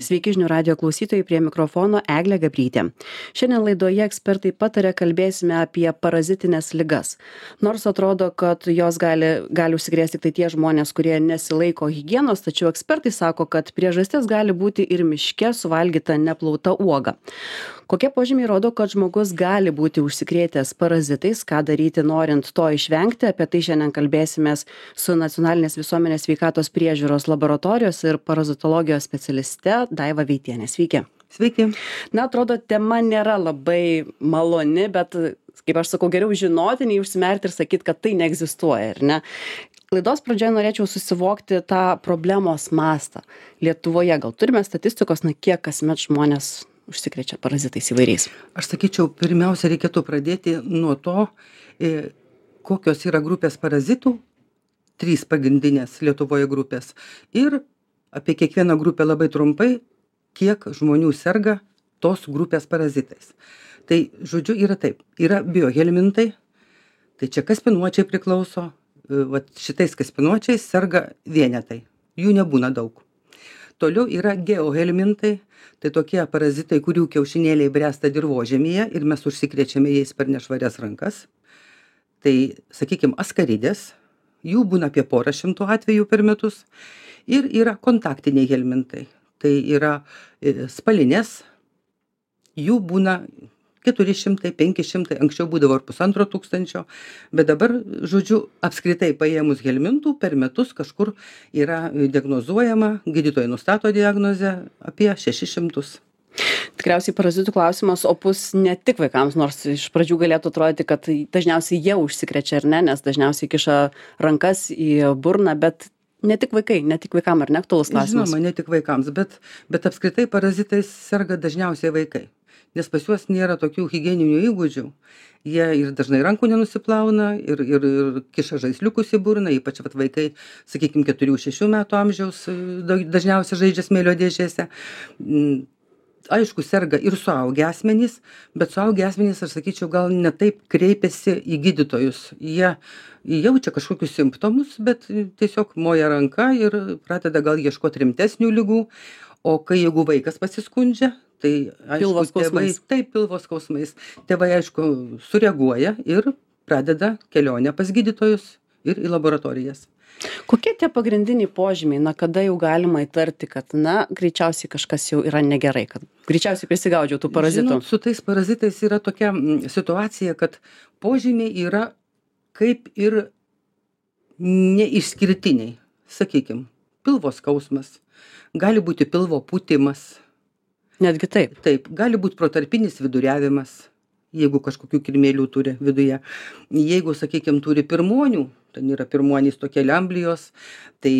Sveiki žinių radio klausytojai, prie mikrofono Eglė Gabrytė. Šiandien laidoje ekspertai pataria, kalbėsime apie parazitinės ligas. Nors atrodo, kad jos gali užsikrėsti tik tai tie žmonės, kurie nesilaiko higienos, tačiau ekspertai sako, kad priežastis gali būti ir miške suvalgyta neplauta uoga. Kokie požymiai rodo, kad žmogus gali būti užsikrėtęs parazitais, ką daryti norint to išvengti, apie tai šiandien kalbėsimės su Nacionalinės visuomenės sveikatos priežiūros laboratorijos ir parazitologijos specialiste Daiva Veitienė. Sveiki. Sveiki. Na, atrodo, tema nėra labai maloni, bet, kaip aš sakau, geriau žinoti, nei užsimerkti ir sakyti, kad tai neegzistuoja, ar ne? Laidos pradžioje norėčiau susivokti tą problemos mastą. Lietuvoje gal turime statistikos, kiek kasmet žmonės užsikrečia parazitais įvairiais? Aš sakyčiau, pirmiausia, reikėtų pradėti nuo to, kokios yra grupės parazitų, 3 pagrindinės Lietuvoje grupės. Ir apie kiekvieną grupę labai trumpai, kiek žmonių serga tos grupės parazitais. Tai, žodžiu, yra taip. Yra biohelmintai, tai čia kaspinuočiai priklauso. Šitais kaspinuočiais serga vienetai. Jų nebūna daug. Toliau yra geohelmintai, tai tokie parazitai, kurių kiaušinėliai bręsta dirvožemyje ir mes užsikrečiame jais per nešvarias rankas. Tai, sakykime, askaridės, jų būna apie 100 atvejų per metus. Ir yra kontaktiniai helmintai, tai yra spalinės, jų būna 400, 500, anksčiau būdavo ir 1500, bet dabar, žodžiu, apskritai paėmus helmintų per metus kažkur yra diagnozuojama, gydytojai nustato diagnozę apie 600. Tikriausiai parazitų klausimas opus ne tik vaikams, nors iš pradžių galėtų atrodyti, kad dažniausiai jie užsikrečia ar ne, nes dažniausiai kiša rankas į burną, bet ne tik vaikai, ne tik vaikam, ar ne aktualus klausimas? Žinoma, ne tik vaikams, bet apskritai parazitais serga dažniausiai vaikai. Nes pas juos nėra tokių higieninių įgūdžių. Jie ir dažnai rankų nenusiplauna ir kiša žaisliukus į burną, ypač vaikai, sakykime, 4-6 metų amžiaus dažniausiai žaidžia smėlio dėžėse. Aišku, serga ir suaugę asmenys, bet suaugę asmenys, aš sakyčiau, gal ne taip kreipiasi į gydytojus. Jie jaučia kažkokius simptomus, bet tiesiog moja ranka ir pradeda gal ieškoti rimtesnių ligų. O kai jeigu vaikas pasiskundžia, tai aišku, pilvo skausmais. Tėvai, aišku, sureaguoja ir pradeda kelionę pas gydytojus ir į laboratorijas. Kokie tie pagrindiniai požymiai, kada jau galima įtarti, kad, greičiausiai kažkas jau yra negerai, kad greičiausiai prisigaudžiau tų parazitų? Žinot, su tais parazitais yra tokia situacija, kad požymiai yra kaip ir neišskirtiniai. Sakykime, pilvo skausmas, gali būti pilvo pūtimas. Netgi taip? Taip, gali būti protarpinis viduriavimas, jeigu kažkokių kirmėlių turi viduje. Jeigu, sakykime, turi pirmonių, ten yra pirmonys tokie lemblijos, tai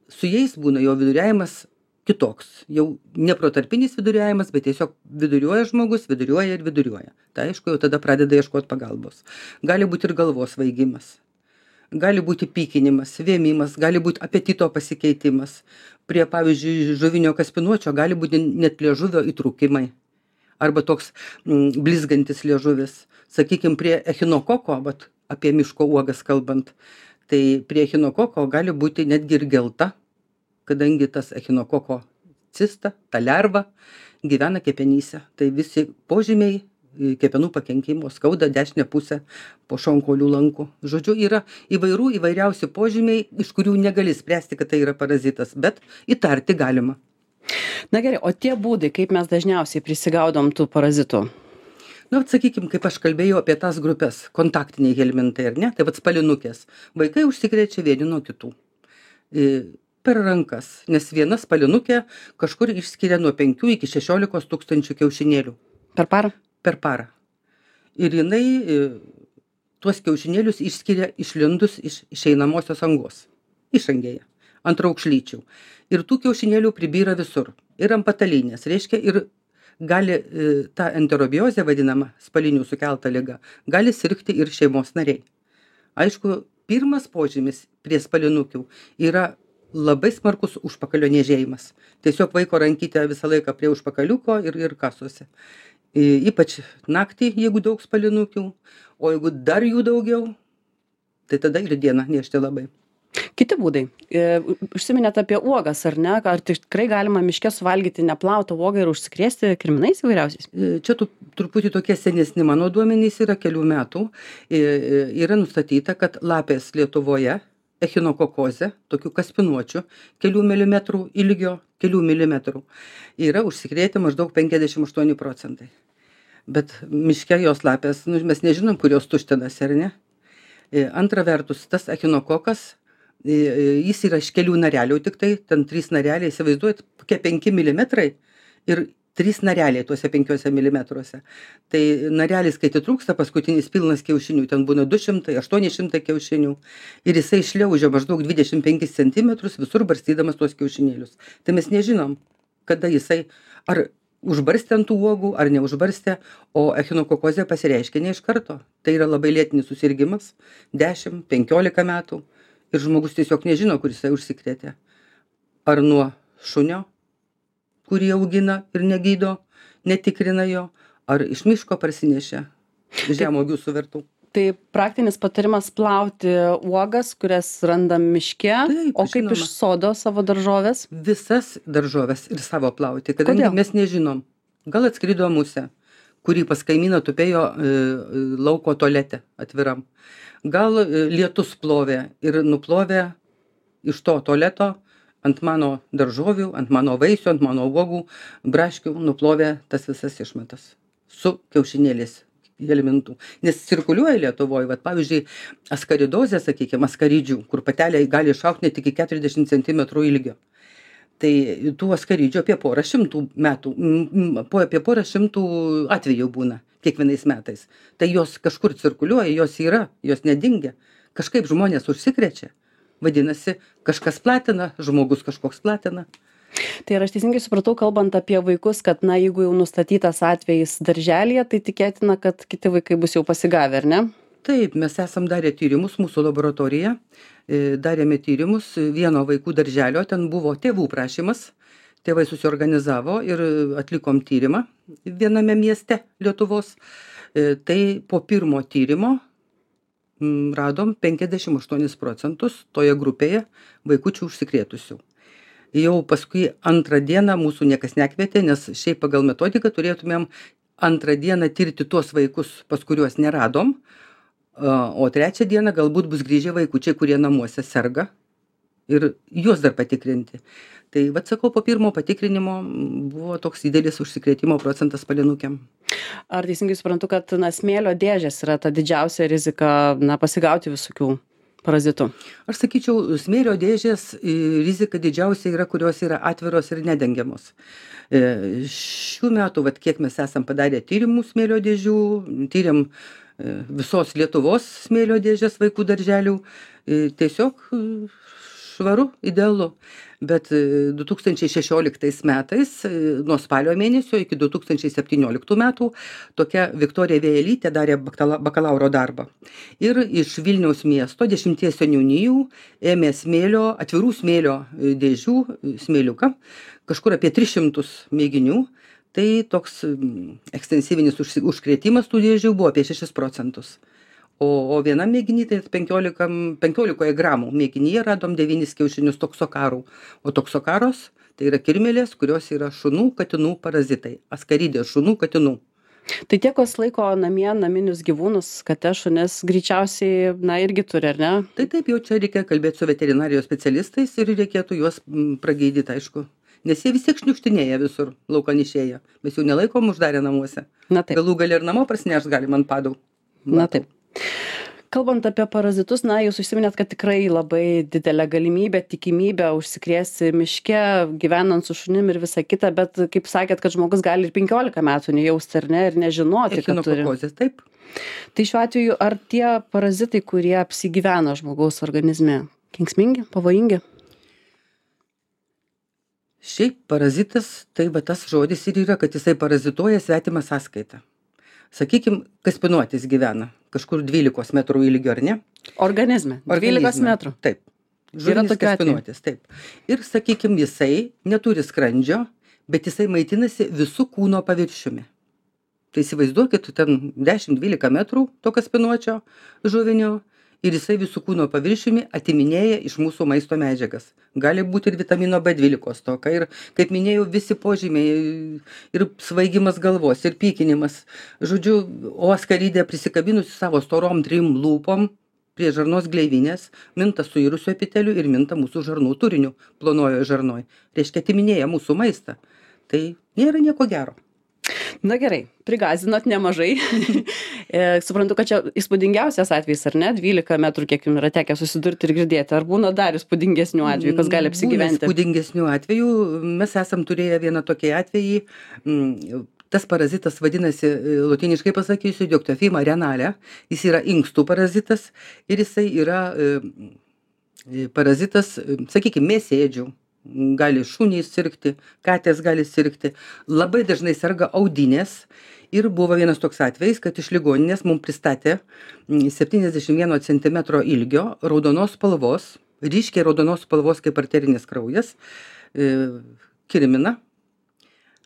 su jais būna jo viduriavimas kitoks. Jau ne protarpinis viduriavimas, bet tiesiog viduriuoja žmogus, viduriuoja ir viduriuoja. Tai aišku, jau tada pradeda ieškoti pagalbos. Gali būti ir galvos svaigimas. Gali būti pykinimas, vėmimas, gali būti apetito pasikeitimas. Prie, pavyzdžiui, žuvinio kaspinuočio gali būti net liežuvio įtrūkimai. Arba toks blizgantis liežuvis. Sakykime, prie echinokoko, apie miško uogas kalbant, tai prie echinokoko gali būti netgi ir gelta, kadangi tas echinokoko cista, ta lerva, gyvena kepenyse. Tai visi požymiai kepenų pakenkimo, skauda dešinę pusę po šonkaulių lankų. Žodžiu, yra įvairiausi požymiai, iš kurių negali spręsti, kad tai yra parazitas, bet įtarti galima. Na gerai, o tie būdai, kaip mes dažniausiai prisigaudom tų parazitų? Sakykime, kaip aš kalbėjau apie tas grupės, kontaktiniai helmintai, ar ne? Tai spalinukės. Vaikai užsikrečia vieni nuo kitų. Per rankas, nes viena spalinukė kažkur išskiria nuo 5 iki 16 tūkstančių kiaušinėlių. Per parą? Per parą. Ir jinai tuos kiaušinėlius išskiria išlindus iš išeinamosios angos. Išangėje, ant raukšlyčių. Ir tų kiaušinėlių pribyra visur. Ir ant patalynės, reiškia, ir gali ta enterobiozė vadinama, spalinių sukelta liga, gali sirgti ir šeimos nariai. Aišku, pirmas požymis prie spalinukių yra labai smarkus užpakalio niežėjimas. Tiesiog vaiko rankytė visą laiką prie užpakaliuko ir kasosi. Ypač naktį, jeigu daug spalinukių, o jeigu dar jų daugiau, tai tada ir dieną niežti labai. Kiti būdai. Užsiminėt apie uogas, ar ne? Ar tikrai galima miške suvalgyti neplautą uogą ir užsikrėsti kirminais įvairiausiais? Čia truputį tokie senesni mano duomenys yra kelių metų. Yra nustatyta, kad lapės Lietuvoje echinokokozė, tokių kaspinuočių, kelių milimetrų ilgio, kelių milimetrų, yra užsikrėtę maždaug 58%. Bet miške jos lapės, mes nežinom, kur jos tuštinasi, ar ne? Antra vertus, tas echinokokas, jis yra iš kelių narelių tik tai, ten 3 nareliai, įsivaizduojat, kokie 5 milimetrai ir 3 nareliai tuose 5 milimetruose. Tai narelis, kai atitrūksta, paskutinis pilnas kiaušinių, ten būna 200, 800 kiaušinių ir jisai šliaužia maždaug 25 cm visur barstydamas tuos kiaušinėlius. Tai mes nežinom, kada jisai ar užbarstė ant tų uogų, ar neužbarstė, o echinokokozė pasireiškia ne iš karto. Tai yra labai lėtinis susirgimas, 10-15 metų ir žmogus tiesiog nežino, kur jisai užsikrėtė. Ar nuo šunio, kurį augina ir negydo, netikrina jo, ar iš miško parsinešė žemuogių suvertų. Tai praktinis patarimas plauti uogas, kurias randam miške, Taip, o kaip žinoma. iš sodo savo daržovės? Visas daržoves ir savo plauti, kadangi Kodėl? mes nežinom. Gal atskrido musė, kurį pas kaimyną tupėjo lauko tualete atviram. Gal lietus plovė ir nuplovė iš to tualeto ant mano daržovių, ant mano vaisių, ant mano uogų, braškių nuplovė tas visas išmetas su kiaušinėliais elementų. Nes cirkuliuoja Lietuvoje, vat, pavyzdžiui, askaridozė, sakykime, askaridžių, kur patelė gali išaugti net iki 40 cm ilgio. Tai tų askaridžių apie porą šimtų atvejų būna kiekvienais metais. Tai jos kažkur cirkuliuoja, jos yra, jos nedingia. Kažkaip žmonės užsikrečia. Vadinasi, kažkas platina, žmogus kažkoks platina. Tai ar aš teisingai supratau, kalbant apie vaikus, kad, na, jeigu jau nustatytas atvejis darželėje, tai tikėtina, kad kiti vaikai bus jau pasigavę, ar ne? Taip, mes esam darę tyrimus, mūsų laboratorija, darėme tyrimus vieno vaikų darželio, ten buvo tėvų prašymas, tėvai susiorganizavo ir atlikom tyrimą viename mieste Lietuvos. Tai po pirmo tyrimo radom 58% toje grupėje vaikučių užsikrėtusių. Jau paskui antrą dieną mūsų niekas nekvietė, nes šiaip pagal metodiką turėtumėm antrą dieną tirti tuos vaikus, pas kuriuos neradom, o trečią dieną galbūt bus grįžę vaikučiai, kurie namuose serga ir juos dar patikrinti. Tai, vat sakau, po pirmo patikrinimo buvo toks didelis užsikrėtimo procentas palinukėm. Ar teisingai suprantu, kad, na, smėlio dėžės yra ta didžiausia rizika, na, pasigauti visokių parazitų? Aš sakyčiau, smėlio dėžės rizika didžiausia yra, kurios yra atviros ir nedengiamos. Šių metų, vat, kiek mes esam padarę tyrimų smėlio dėžių, tyriam visos Lietuvos smėlio dėžės vaikų darželių, tiesiog švaru, idealu. Bet 2016 metais, nuo spalio mėnesio iki 2017 metų, tokia Viktorija Vėjelytė darė bakalauro darbą. Ir iš Vilniaus miesto 10 seniūnijų ėmė smėlio, atvirų smėlio dėžių, smėliuką, kažkur apie 300 mėginių. Tai toks ekstensyvinis užkrėtimas tų dėžių buvo apie 6%. O vienam mėginy, tai 15 gramų mėginyje radom 9 kiaušinius toksokarų. O toksokaros tai yra kirmėlės, kurios yra šunų, katinų parazitai. Askaridės šunų, katinų. Tai tie, kas laiko namie naminius gyvūnus, kates, šunis, greičiausiai, na, irgi turi, ar ne? Tai taip, jau čia reikia kalbėti su veterinarijos specialistais ir reikėtų juos pragydyti, aišku. Nes jie vis tiek šniukštinėja visur, laukan išėję. Mes jų nelaikom uždarę namuose. Na taip. Galų gali ir namo prasinešt galim ant padų. Na taip. Kalbant apie parazitus, na, jūs užsiminėt, kad tikrai labai didelė galimybė, tikimybė užsikrėsti miške, gyvenant su šunim ir visa kita, bet kaip sakėt, kad žmogus gali ir 15 metų nejausti, ar ne, ir nežinoti, kad turi. Echinokokozės, taip. Tai šiuo atveju, ar tie parazitai, kurie apsigyvena žmogaus organizme, kenksmingi, pavojingi? Šiaip parazitas, tai va tas žodis ir yra, kad jisai parazituoja svetimą sąskaitą. Sakykim, kaspinuotis gyvena kažkur 12 metrų ilgio, ar ne? Organizme. 12 metrų. Taip. Žuvinis kaspinuotis, taip. Ir sakykim, jisai neturi skrandžio, bet jisai maitinasi visų kūno paviršiumi. Tai įsivaizduokit, ten 10-12 metrų to kaspinuočio žuvinio ir jisai visų kūno paviršiumi atiminėja iš mūsų maisto medžiagas. Gali būti ir vitamino B12 stoka, ir, kaip minėjau, visi požymiai, ir svaigimas galvos, ir pykinimas. Žodžiu, o askarydė prisikabinusi savo storom 3 lūpom prie žarnos gleivinės, minta suirusiu epiteliu ir minta mūsų žarnų turiniu plonojoje žarnoj. Reiškia, atiminėja mūsų maistą. Tai nėra nieko gero. Na gerai, prigazinot nemažai. Suprantu, kad čia įspūdingiausias atvejis, ar ne? 12 metrų, kiek jums yra tekę susidurti ir girdėti. Ar būna dar įspūdingesnių atvejų, kas gali apsigyventi? Būna įspūdingesnių atvejų. Mes esam turėję vieną tokį atvejį. Tas parazitas vadinasi, lotyniškai pasakysiu, Dioktofima renale. Jis yra inkstų parazitas ir jisai yra parazitas, sakykime, mėsėdžių. Gali šunys sirgti, katės gali sirgti. Labai dažnai serga audinės. Ir buvo vienas toks atvejis, kad iš ligoninės mums pristatė 71 cm ilgio raudonos spalvos, ryškiai raudonos spalvos kaip arterinis kraujas, kirminą.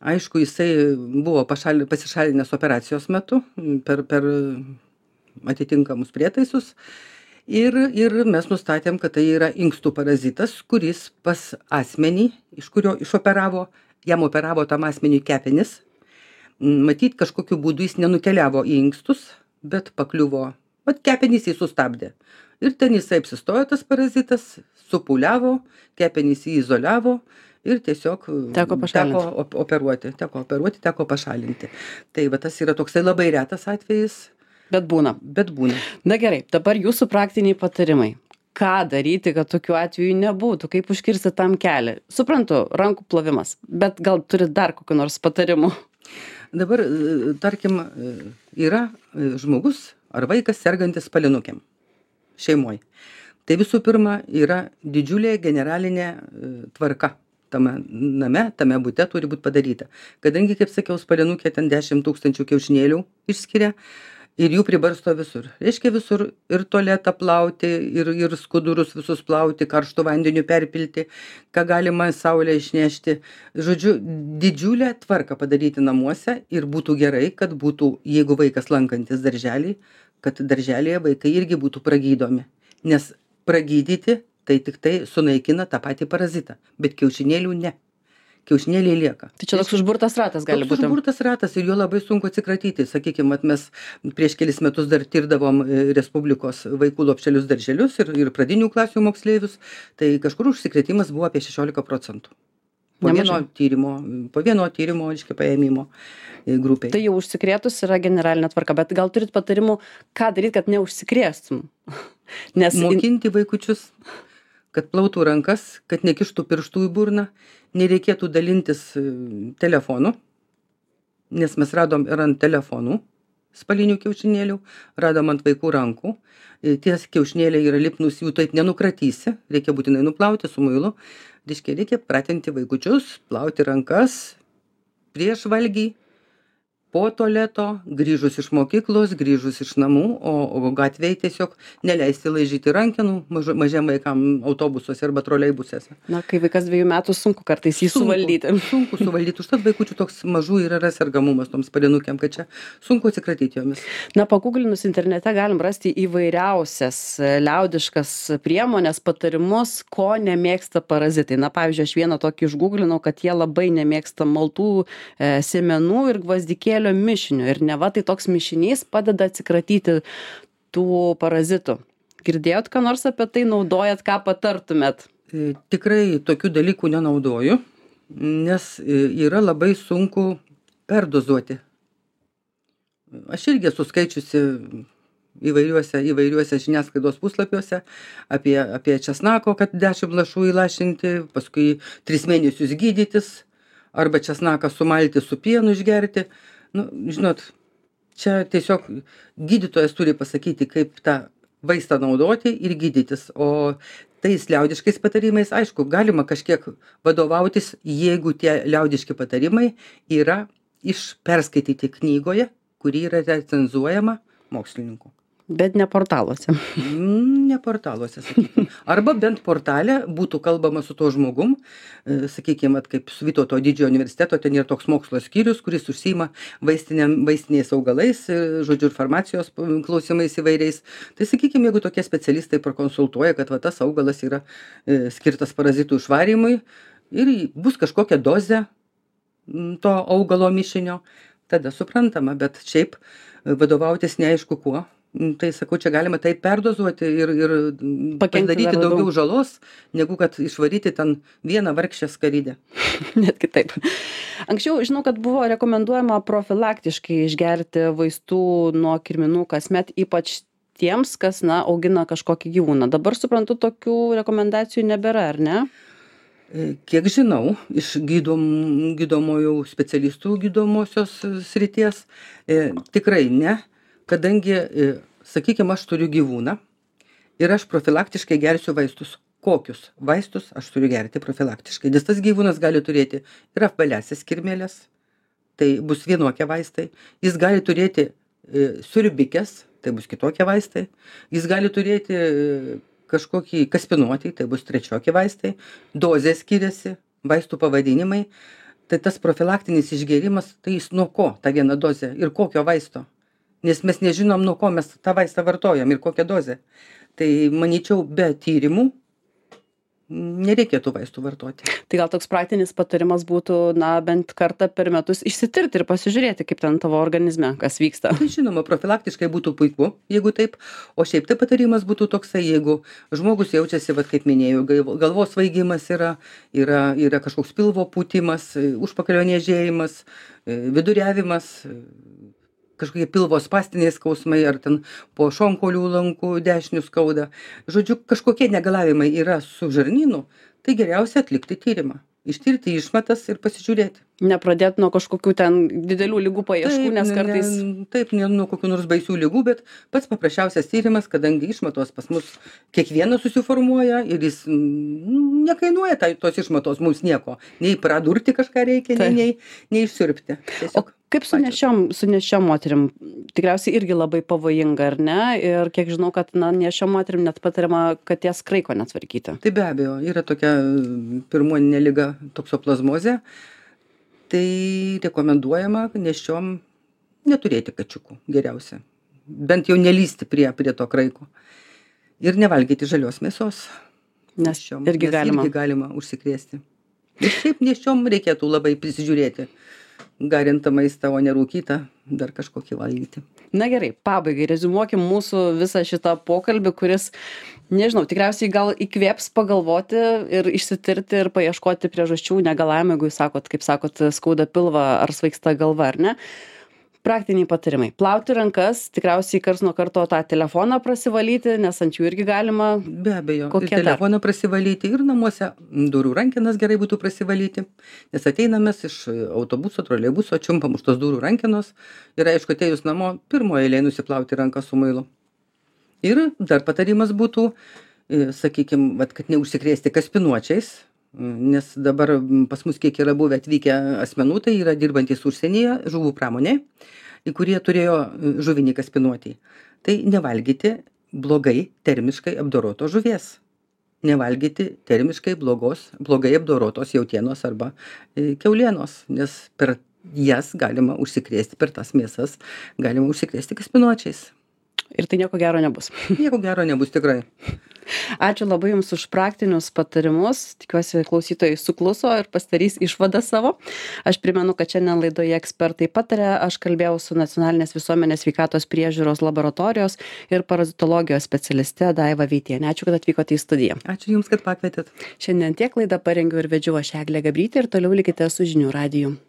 Aišku, jisai buvo pasišalinęs operacijos metu per atitinkamus prietaisus. Ir mes nustatėm, kad tai yra inkstų parazitas, kuris pas asmenį, iš kurio jam operavo tam asmeniui kepenis. Matyt, kažkokiu būdu jis nenukeliavo į inkstus, bet pakliuvo, kepenys jį sustabdė. Ir ten jisai apsistojo tas parazitas, supūliavo, kepenys jį izoliavo ir tiesiog teko operuoti, teko pašalinti. Tai va, tas yra toksai labai retas atvejis. Bet būna. Na gerai, dabar jūsų praktiniai patarimai. Ką daryti, kad tokių atvejų nebūtų? Kaip užkirsti tam kelią? Suprantu, rankų plovimas, bet gal turit dar kokių nors patarimų? Dabar, tarkim, yra žmogus ar vaikas sergantis palinukėm šeimoje. Tai visų pirma yra didžiulė generalinė tvarka. Tame name, tame bute turi būti padaryta. Kadangi, kaip sakiau, spalinukė ten 10 000 kiaušinėlių išskiria, ir jų pribarsto visur. Reiškia visur ir tualetą plauti, ir skudurus visus plauti, karštų vandeniu perpilti, ką galima saulę išnešti. Žodžiu, didžiulę tvarką padaryti namuose ir būtų gerai, kad būtų, jeigu vaikas lankantis darželį, kad darželėje vaikai irgi būtų pragydomi. Nes pragydyti tai tik tai sunaikina tą patį parazitą, bet kiaušinėlių ne. Kiaušinėliai lieka. Tai čia toks užburtas ratas gali būti. Užburtas ratas ir jo labai sunku atsikratyti. Sakykime, mes prieš kelis metus dar tirdavom Respublikos vaikų lopšelius darželius ir pradinių klasių moksleivius, tai kažkur užsikrėtimas buvo apie 16%. Po vieno tyrimo, reiškia, paėmimo grupiai. Tai jau užsikrėtus yra generalinė tvarka, bet gal turit patarimų, ką daryti, kad neužsikrėstum? Mokinti vaikučius, kad plautų rankas, kad nekištų pirštų į burną, nereikėtų dalintis telefonu, nes mes radom ir ant telefonų spalinių kiaušinėlių, radom ant vaikų rankų. Tie kiaušinėliai yra lipnus, jų taip nenukratysi, reikia būtinai nuplauti su muilu. Reikia pratinti vaikučius, plauti rankas prieš valgį, po tualeto, grįžus iš mokyklos, grįžus iš namų, o gatvėje tiesiog neleisti laižyti rankenų mažiem vaikam autobusuose arba troleibusuose. Na, kai vaikas 2 metų, sunku kartais jį suvaldyti. Sunku suvaldyti. Užtat vaikučių toks mažų yra sergamumas toms palinukėm, kad čia sunku atsikratyti jomis. Na, paguglinus internete galim rasti įvairiausias liaudiškas priemonės, patarimus, ko nemėgsta parazitai. Na, pavyzdžiui, aš vieną tokį išguglinau, kad jie labai nemėgsta maltų, sėmenų ir gvazdikėlių mišinių. Ir neva tai toks mišinys padeda atsikratyti tų parazitų. Girdėjot, ką nors apie tai naudojat, ką patartumėt? Tikrai tokių dalykų nenaudoju, nes yra labai sunku perdozuoti. Aš irgi esu skaičiusi įvairiuose žiniasklaidos puslapiuose apie česnako, kad 10 lašų įlašinti, paskui 3 mėnesius gydytis, arba česnaką sumalti su pienu išgerti. Nu, žinot, čia tiesiog gydytojas turi pasakyti, kaip tą vaistą naudoti ir gydytis. O tais liaudiškais patarimais, aišku, galima kažkiek vadovautis, jeigu tie liaudiški patarimai yra perskaityti knygoje, kuri yra recenzuojama mokslininkų. Bet ne portaluose. Ne portaluose, sakykim. Arba bent portale būtų kalbama su tuo žmogum, sakykim, vat kaip su Vytauto didžiojo universiteto, ten yra toks mokslo skyrius, kuris užsiima vaistiniais augalais, žodžiu, ir farmacijos klausimais įvairiais. Tai sakykim, jeigu tokie specialistai pakonsultuoja, kad va tas augalas yra skirtas parazitų išvarymui ir bus kažkokia dozė to augalo mišinio, tada suprantama, bet šiaip vadovautis neaišku kuo. Tai sakau, čia galima taip perdozuoti ir padaryti daugiau žalos, negu kad išvaryti ten vieną vargšę skaridę. Net kitaip. Anksčiau žinau, kad buvo rekomenduojama profilaktiškai išgerti vaistų nuo kirminų kasmet, ypač tiems, kas, augina kažkokį gyvūną. Dabar suprantu, tokių rekomendacijų nebėra, ar ne? Kiek žinau, iš gydomojų specialistų gydomosios srities, tikrai ne. Kadangi, sakykime, aš turiu gyvūną ir aš profilaktiškai gersiu vaistus. Kokius vaistus aš turiu gerti profilaktiškai? Nes tas gyvūnas gali turėti ir apvaliasias kirmėles, tai bus vienokie vaistai. Jis gali turėti siurbikes, tai bus kitokie vaistai. Jis gali turėti kažkokį kaspinuotį, tai bus trečiokie vaistai. Dozė skiriasi, vaistų pavadinimai. Tai tas profilaktinis išgėrimas, tai jis nuo ko ta viena dozė ir kokio vaisto? Nes mes nežinom, nuo ko mes tą vaistą vartojam ir kokią dozę. Tai manyčiau, be tyrimų nereikėtų vaistų vartoti. Tai gal toks praktinis patarimas būtų, bent kartą per metus išsitirti ir pasižiūrėti, kaip ten tavo organizme, kas vyksta. Tai žinoma, profilaktiškai būtų puiku, jeigu taip. O šiaip tai patarimas būtų toksai, jeigu žmogus jaučiasi, kaip minėjau, galvos svaigimas yra kažkoks pilvo pūtimas, užpakalio niežėjimas, viduriavimas, kažkokie pilvo spastiniai skausmai, ar ten po šonkaulių lankų dešinių skauda. Žodžiu, kažkokie negalavimai yra su žarnynu, tai geriausia atlikti tyrimą. Ištirti išmatas ir pasižiūrėti. Nepradėti nuo kažkokių ten didelių ligų paieškų, nes kartais... Taip, ne nuo kokių nors baisių ligų, bet pats paprasčiausias tyrimas, kadangi išmatos pas mus kiekvienas susiformuoja ir jis nekainuoja tos išmatos mums nieko. Nei pradurti kažką reikia, nei išsiurbti. O kaip su nėščiom moterim? Tikriausiai irgi labai pavojinga, ar ne? Ir kiek žinau, kad nėščiom moterim net patariama katės kraiko netvarkyti. Tai be abejo, yra tokia pirmuoninė liga toksoplazmozė. Tai rekomenduojama nėščiom neturėti kačiukų geriausia. Bent jau nelįsti prie to kraiko. Ir nevalgyti žalios mėsos. Nes irgi galima užsikrėsti. Ir šiaip nėščiom reikėtų labai prisižiūrėti. Garintą maistą, o nerūkytą, dar kažkokį valgyti. Na gerai, pabaigai reziumuokim mūsų visą šitą pokalbį, kuris, nežinau, tikriausiai gal įkvėps pagalvoti ir išsitirti ir paieškoti priežasčių negalavimų, jeigu jūs kaip sakot, skauda pilvą ar svaigsta galva, ar ne? Praktiniai patarimai. Plauti rankas, tikriausiai karts nuo karto tą telefoną prasivalyti, nes ant jų irgi galima. Be abejo, ir telefoną prasivalyti, ir namuose durų rankenas gerai būtų prasivalyti, nes ateinamės iš autobuso, troleibuso, čiumpam už tos durų rankenos ir aišku, atėjus namo, pirmoje eilėje nusiplauti ranką su muilu. Ir dar patarimas būtų, sakykime, kad neužsikrėsti kaspinuočiais, nes dabar pas mus kiek yra buvę atvykę asmenų, tai yra dirbantys užsienyje žuvų pramonėje, kurie turėjo žuvinį kaspinuotį. Tai nevalgyti blogai termiškai apdorotos žuvies. Nevalgyti termiškai blogai apdorotos jautienos arba kiaulienos, nes per jas galima užsikrėsti, per tas mėsas galima užsikrėsti kaspinuočiais. Ir tai nieko gero nebus. Nieko gero nebus tikrai. Ačiū labai Jums už praktinius patarimus. Tikiuosi, klausytojai sukluso ir pasidarys išvadą savo. Aš primenu, kad šiandien laidoje ekspertai pataria. Aš kalbėjau su Nacionalinės visuomenės sveikatos priežiūros laboratorijos ir parazitologijos specialiste Daiva Veitienė. Ačiū, kad atvykote į studiją. Ačiū Jums, kad pakvietėt. Šiandien tiek laidą parengiau ir vedžiau aš Eglė Gabrytė ir toliau likite su žinių radiju.